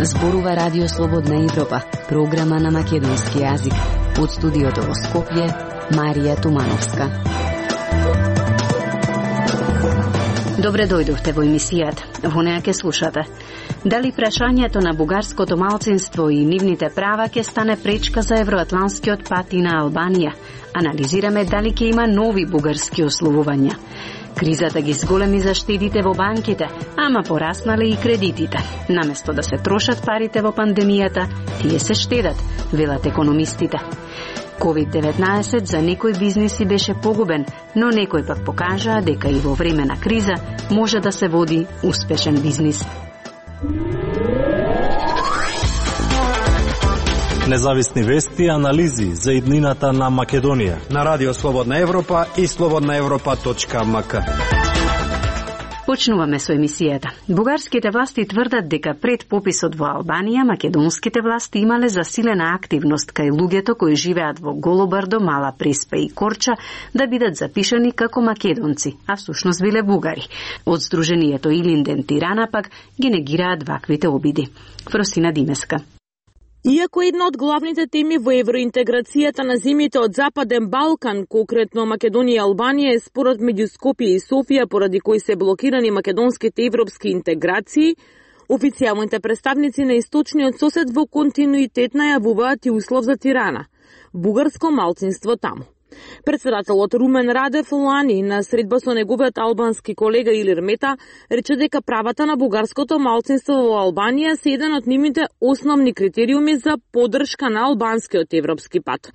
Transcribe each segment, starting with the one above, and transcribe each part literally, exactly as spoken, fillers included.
Зборува Радио Слободна Европа, програма на македонски јазик. Од студиото во Скопје, Марија Тумановска. Добре дојдовте во емисијата. Во неја ке слушате. Дали прашањето на бугарското малцинство и нивните права ќе стане пречка за евроатланскиот пат и на Албанија? Анализираме дали ќе има нови бугарски условувања. Кризата ги зголеми заштедите во банките, ама пораснале и кредитите. Наместо да се трошат парите во пандемијата, тие се штедат, велат економистите. ковид деветнаесет за некои бизниси беше погубен, но некои пак покажаа дека и во време на криза може да се води успешен бизнис. Независни вести и анализи за иднината на Македонија на Радио Слободна Европа и слободна европа точка ем ка. Почнуваме со емисијата. Бугарските власти тврдат дека пред пописот во Албанија, македонските власти имале засилена активност кај луѓето кои живеат во Голобрдо, Мала Преспа и Корча да бидат запишани како македонци, а всушност биле бугари. Од Сдруженијето Илинден Тирана пак ги негираат ваквите обиди. Фросина Димеска. Иако една од главните теми во евроинтеграцијата на земјите од Западен Балкан, конкретно Македонија и Албанија, е спорот меѓу Скопје и Софија, поради кои се блокирани македонските европски интеграции, официјалните представници на источниот сосед во континуитет најавуваат и услов за Тирана – бугарско малцинство таму. Председателот Румен Радев лани на средба со неговиот албански колега Илир Мета рече дека правата на бугарското малцинство во Албанија се еден од нивните основни критериуми за поддршка на албанскиот европски пат.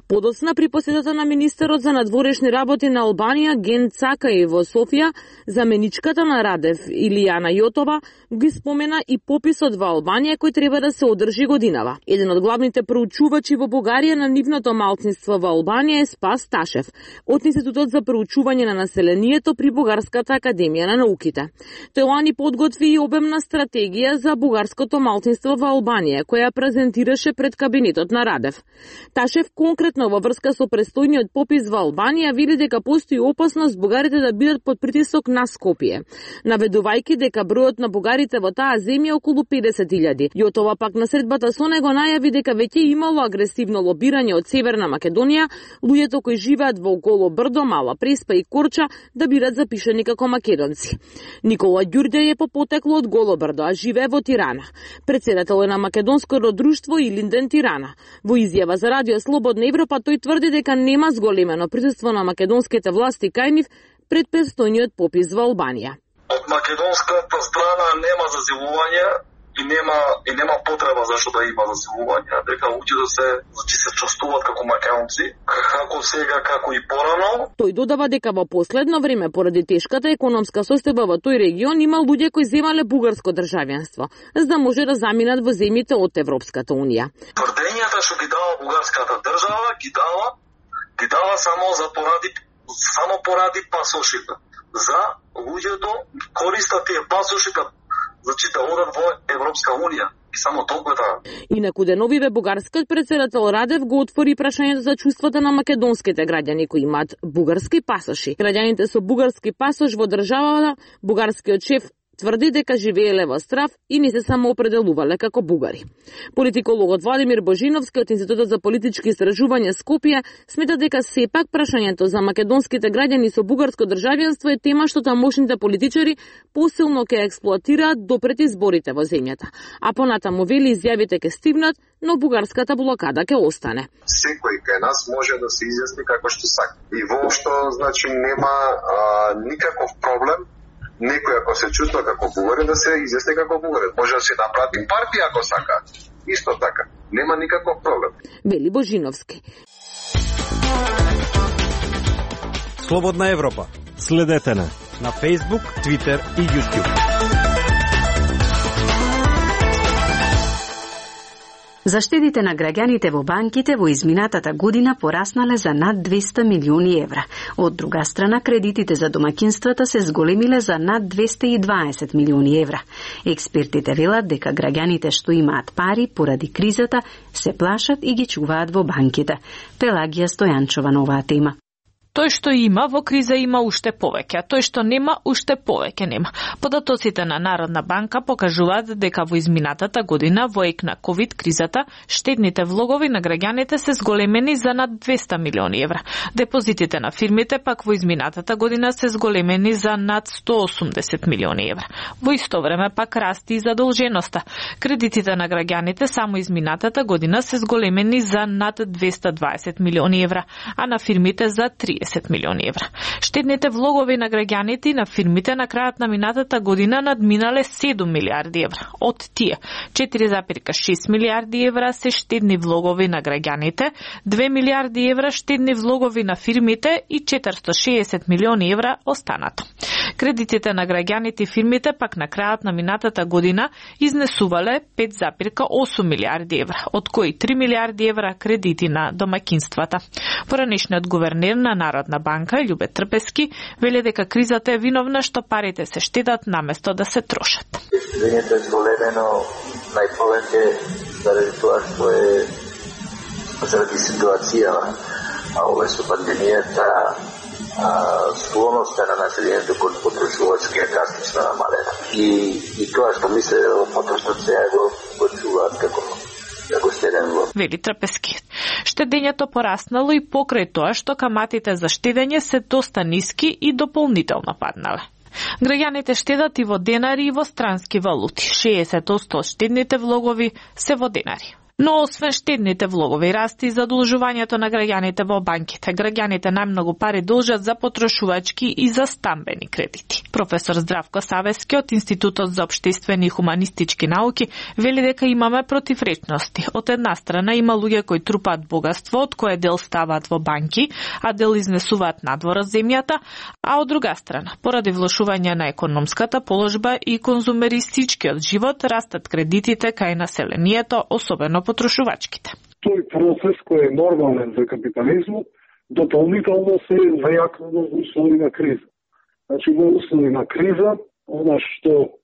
Подоцна при посетата на министерот за надворешни работи на Албанија Ген Цакај во Софија, заменичката на Радев Илијана Јотова ги спомена и пописот во Албанија кој треба да се одржи годинава. Еден од главните проучувачи во Бугарија на нивното малцинство во Албанија е Спас Ташев од Институтот за проучување на населението при Бугарската академија на науките. Тој лани подготви и обемна стратегија за бугарското малцинство во Албанија, која презентираше пред кабинетот на Радев. Ташев конкретно во врска со престојниот попис во Албанија вели дека постои опасност бугарите да бидат под притисок на Скопје, наведувајќи дека бројот на бугарите во таа земја околу педесет илјади. Јотова пак на средбата со него најави дека веќе имало агресивно лобирање од Северна Македонија, луѓето кои живеат во Голобрдо, Мала Преспа и Корча да бидат запишани како македонци. Никола Ѓурѓај е по потекло од Голобрдо, а живее во Тирана. Председател е на македонското друштво Илинден Тирана. Во изјава за Радио Слободна Европа тој тврди дека нема зголемено присуство на македонските власти кај нив пред престојниот попис во Албанија. Од македонската страна нема зазивување и нема и нема потреба зашто да има зазивување, дека луѓето се значи се чувствуваат како македонци, како сега, како и порано. Тој додава дека во последно време поради тешката економска состојба во тој регион има луѓе кои земале бугарско државјанство, за да може да заминат во земјите од Европската унија. Тврдењата што ги дава бугарската држава ги дава ги дава само за поради само поради пасошите. За луѓето користат тие пасошите значи да одат во Европска унија. И само толку е таа. Инаку деновиве бугарскиот председател Радев го отвори прашањето за чувствата на македонските граѓани кои имаат бугарски пасоши. Граѓаните со бугарски пасош во државата, бугарскиот шеф тврди дека живееле во страв и не се самоопределувале како бугари. Политикологот Владимир Божиновски од Институтот за политички истражувања Скопје смета дека сепак прашањето за македонските граѓани со бугарско државјанство е тема што тамошните политичари посилно ќе експлоатираат допред изборите во земјата, а понатаму вели изјавите ќе стигнат, но бугарската блокада ќе остане. Секој кај нас може да се изјасни како што сака. И воопшто значи нема а, никаков проблем. Некој ако се чувства како бугарин да се изјасни како бугарин. Може да се направи партија ако сака. Исто така. Нема никаков проблем. Вели Божиновски. Слободна Европа. Следете на на Facebook, Twitter и YouTube. Заштедите на граѓаните во банките во изминатата година пораснале за над двесте милиони евра. Од друга страна, кредитите за домаќинствата се зголемиле за над двесте и дваесет милиони евра. Експертите велат дека граѓаните што имаат пари поради кризата се плашат и ги чуваат во банките. Пелагија Стојанчова на оваа тема. Тој што има во криза има уште повеќе, а тој што нема уште повеќе нема. Податоците на Народна банка покажуваат дека во изминатата година во ек на ковид кризата штедните влогови на граѓаните се зголемени за над двесте милиони евра. Депозитите на фирмите пак во изминатата година се зголемени за над сто осумдесет милиони евра. Во исто време пак расти и задолженоста. Кредитите на граѓаните само изминатата година се зголемени за над двесте дваесет милиони евра, а на фирмите за триесет милиони евра. Штедните влогови на граѓаните и на фирмите на крајот на минатата година надминале седум милиарди евра. Од тие четири зарез шест милиарди евра се штедни влогови на граѓаните, две милиарди евра штедни влогови на фирмите и четиристо шеесет милиони евра останато. Кредитите на граѓаните и фирмите пак на крајот на минатата година изнесувале пет зарез осум милиарди евра, од кои три милиарди евра кредити на домаќинствата. Поранешниот гувернер на Народна банка Љубе Трпески вели дека кризата е виновна што парите се штедат наместо да се трошат. Штедењето е зголемено најповеќе заради тоа што е заради ситуацијава, а ова со пандемијата склоноста на населението кон потрошувачки е драстично намалена. И, и тоа што мисле потрошат сега го, го чуваат како како штеден влог. Вели Трпески. Штедењето пораснало и покрај тоа што каматите за штедење се доста ниски и дополнително паднале. Граѓаните штедат и во денари и во странски валути. шеесет одсто од штедните влогови се во денари. Но освен штедните влогови расти и задолжувањето на граѓаните во банките. Граѓаните најмногу пари должат за потрошувачки и за стамбени кредити. Професор Здравко Савески од Институтот за општествени и хуманистички науки вели дека имаме противречности. Од една страна има луѓе кои трупаат богатство, од кое дел ставаат во банки, а дел изнесуваат надвор од земјата, а од друга страна, поради влошување на економската положба и конзумеристичкиот живот, растат кредитите кај населението, особено потрошувачките. Тој процес кој е нормален за капитализмот, дополнително се зајакнува во услови на криза. Значи, во услови на криза, она што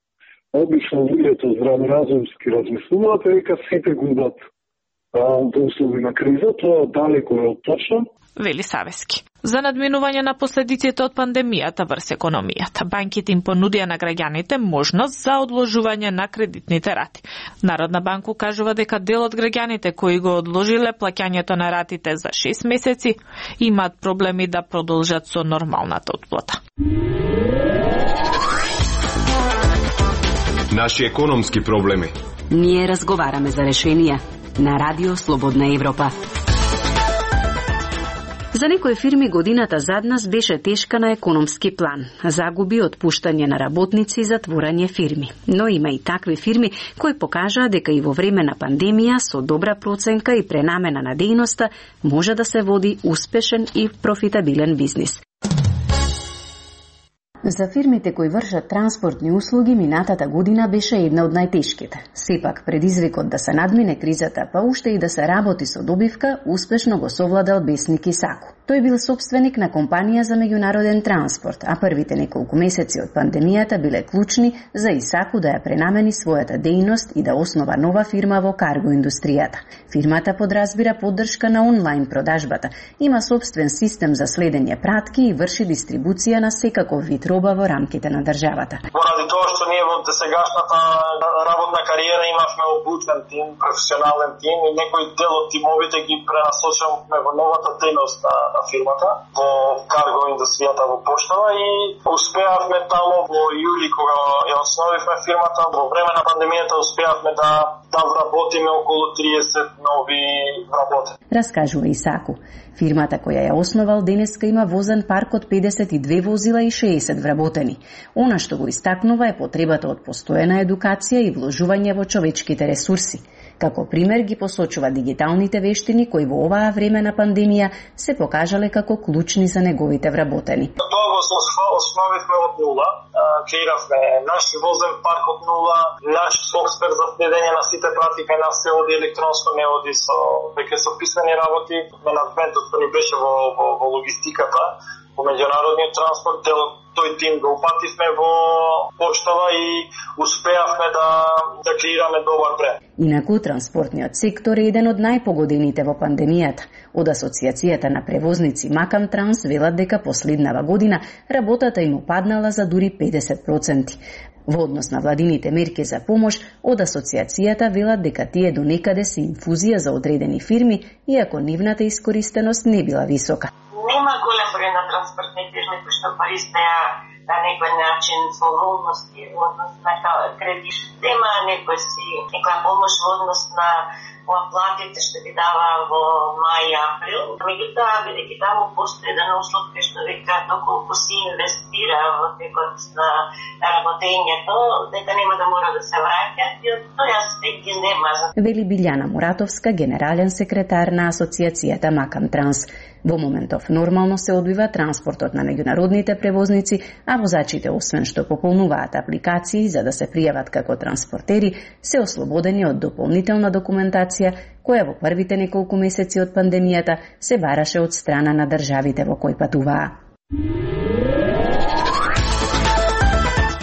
обично луѓето здраворазумски размислуваат е дека сите губат во услови на криза, тоа далеко е од точно. Вели Савески. За надминување на последиците од пандемијата врз економијата, банките им понудија на граѓаните можност за одложување на кредитните рати. Народна банка кажува дека дел од граѓаните кои го одложиле плаќањето на ратите за шест месеци имаат проблеми да продолжат со нормалната отплата. Наши економски проблеми. Ние разговараме за решенија на Радио Слободна Европа. За некои фирми годината зад нас беше тешка на економски план. Загуби, отпуштање на работници и затворање фирми. Но има и такви фирми кои покажаа дека и во време на пандемија со добра проценка и пренамена на дејноста може да се води успешен и профитабилен бизнис. За фирмите кои вршат транспортни услуги, минатата година беше една од најтешките. Сепак, предизвикот да се надмине кризата, па уште и да се работи со добивка, успешно го совладал Бесник Исаку. Тој бил собственик на компанија за меѓународен транспорт, а првите неколку месеци од пандемијата биле клучни за Исаку да ја пренамени својата дејност и да основа нова фирма во карго индустријата. Фирмата подразбира поддршка на онлайн продажбата, има собствен систем за следење пратки и врши дистрибуција на секаков вид роба во рамките на државата. Поради тоа што ние во досегашната работна кариера имавме обучен тим, професионален тим и некој дел од тимовите ги пренасочувавме во новата дејност на фирмата, во карго индустријата во поштава и успеавме таму во јули кога ја основивме фирмата, во време на пандемијата успеавме да да вработиме околу триесет нови вработени. Раскажува Исаку. Фирмата која ја основал денеска има возен парк од педесет и две возила и шеесет вработени. Она што го истакнува е потребата од постојана едукација и вложување во човечките ресурси. Како пример ги посочува дигиталните вештини кои во оваа време на пандемија се покажале како клучни за неговите вработени. Тоа го основивме од нула, креиравме наш возен парк од нула, наш софтвер за следење на сите пратика на се оди електронско, не оди со веќе со писмени работи. Менаджментот ни беше во, во, во логистиката во меѓународниот транспорт, делот тој тим го упативме во поштава и успеавме да, да креираме добар бренд. Инаку, транспортниот сектор е еден од најпогодените во пандемијата. Од Асоциацијата на превозници Макам Транс велат дека последнава година работата им опаднала за дури педесет проценти. Во однос на владините мерки за помош, од Асоциацијата велат дека тие до некаде се инфузија за одредени фирми, иако нивната искористеност не била висока. Нема голем број на транспортни фирми кои што користеа на некој начин во волности, во однос на кредит. Нема некој си, некоја помош во однос на платите што ги дава во мај и април. Меѓутоа, бидејќи таму постои еден услов кај што века доколку се инвестира во текот на работењето, дека нема да мора да се враќа, и од тој аспект ги нема. Вели Билјана Муратовска, генерален секретар на Асоциацијата Макам Транс. Во моментов нормално се одвива транспортот на меѓународните превозници, а возачите, освен што пополнуваат апликации за да се пријават како транспортери, се ослободени од дополнителна документација која во првите неколку месеци од пандемијата се бараше од страна на државите во кои патуваа.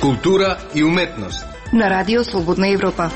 Култура и уметност на Радио Слободна Европа.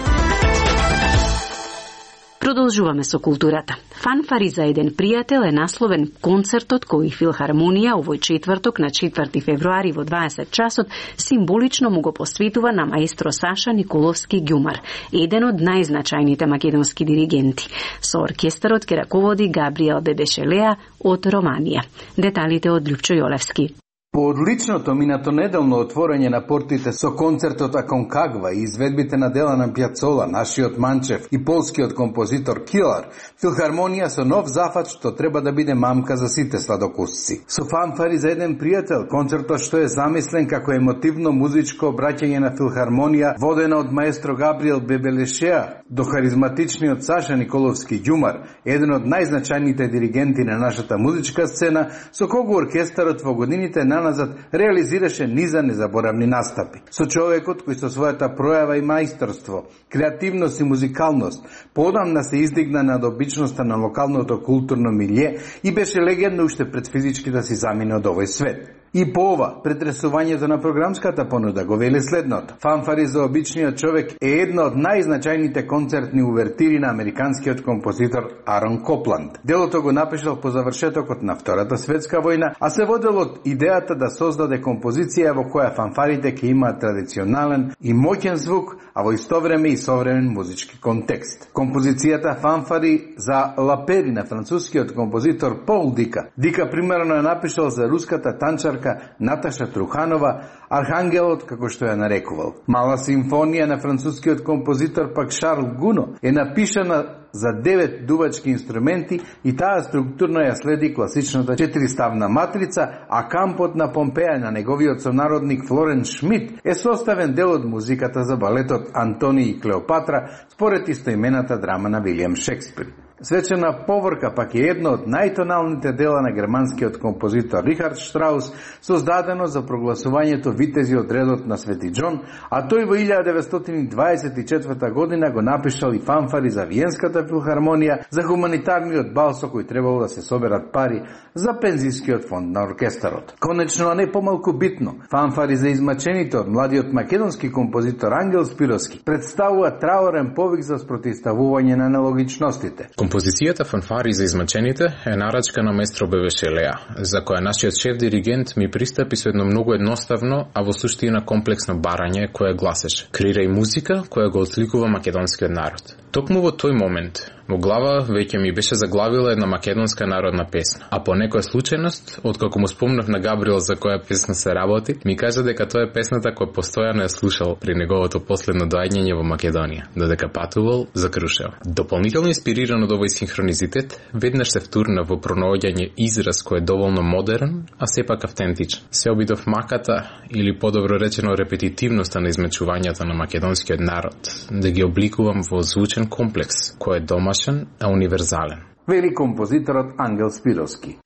Продолжуваме со културата. Фанфари за еден пријател е насловен концертот кој Филхармонија овој четврток на четврти февруари во дваесет часот символично му го посветува на маестро Саша Николовски Ѓумар, еден од најзначајните македонски диригенти. Со оркестарот ќе раководи Габриел Бебешелеа од Романија. Деталите од Љупчо Јолевски. По одличното минатонеделно отворање на портите со концертот Аконкагва и изведбите на дела на Пјацола, нашиот Манчев и полскиот композитор Килар, Филхармонија со нов зафат што треба да биде мамка за сите сладокусци. Со фанфари за еден пријател, концертот што е замислен како емотивно музичко обраќање на Филхармонија, водена од маестро Габриел Бебелешеа до харизматичниот Саша Николовски Ѓумар, еден од најзначајните диригенти на нашата музичка сцена, со кого оркестарот во годините на назад реализираше низа незаборавни настапи. Со човекот кој со својата пројава и мајсторство, креативност и музикалност поодамна се издигна над обичноста на локалното културно милје и беше легенда уште пред физички да си замине од овој свет. И по ова, претресувањето на програмската понуда го вели следното. Фанфари за обичниот човек е една од најзначајните концертни увертири на американскиот композитор Арон Копланд. Делото го напишал по завршетокот на Втората светска војна, а се водел од идејата да создаде композиција во која фанфарите ќе имаат традиционален и моќен звук, а во исто време и современ музички контекст. Композицијата Фанфари за Лапери на францускиот композитор Пол Дика. Дика примерно е напишал за руската танчарка Наташа Труханова, Архангелот, како што ја нарекувал. Мала симфонија на францускиот композитор пак Шарл Гуно е напишана за девет дувачки инструменти и таа структурно ја следи класичната четириставна матрица, а кампот на Помпеја на неговиот сонародник Флорен Шмидт е составен дел од музиката за балетот Антони и Клеопатра според истоимената драма на Вилијам Шекспир. Свечена поворка пак е едно од најтоналните дела на германскиот композитор Рихард Штраус, создадено за прогласувањето витези од редот на Свети Џон, а тој во илјада деветстотини дваесет и четврта година го напишал и фанфари за Виенската филхармонија за хуманитарниот бал со кој требало да се соберат пари за пензискиот фонд на оркестарот. Конечно, а не помалку битно, фанфари за измачените од младиот македонски композитор Ангел Спировски представува траорен повик за спротивставување на нелогичностите. Композицијата Фанфари за измачените е нарачка на маестро Бебешелеа, за која нашиот шеф диригент ми пристапи со едно многу едноставно, а во суштина комплексно барање кое гласеше: креирај музика која го одликува македонскиот народ. Токму во тој момент, во глава веќе ми беше заглавила една македонска народна песна, а по некоја случајност, откако му спомнав на Габриел за која песна се работи, ми кажа дека тоа е песната која постојано ја слушал при неговото последно доаѓање во Македонија, додека патувал за Крушево. Дополнително инспириран од овој синхронизитет, веднаш се втурна во пронаоѓање израз кој е доволно модерен, а сепак автентичен. Се обидов маката, или подобро речено репетитивноста на измечувањата на македонскиот народ, да ги обликувам во звучен комплекс, кој е домашен, а универзален. Вели композиторот Ангел Спировски.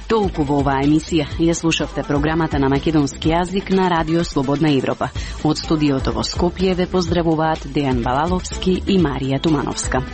Толку во оваа емисија ја слушавте програмата на македонски јазик на Радио Слободна Европа. Од студиото во Скопје ве поздравуваат Дејан Балаловски и Марија Тумановска.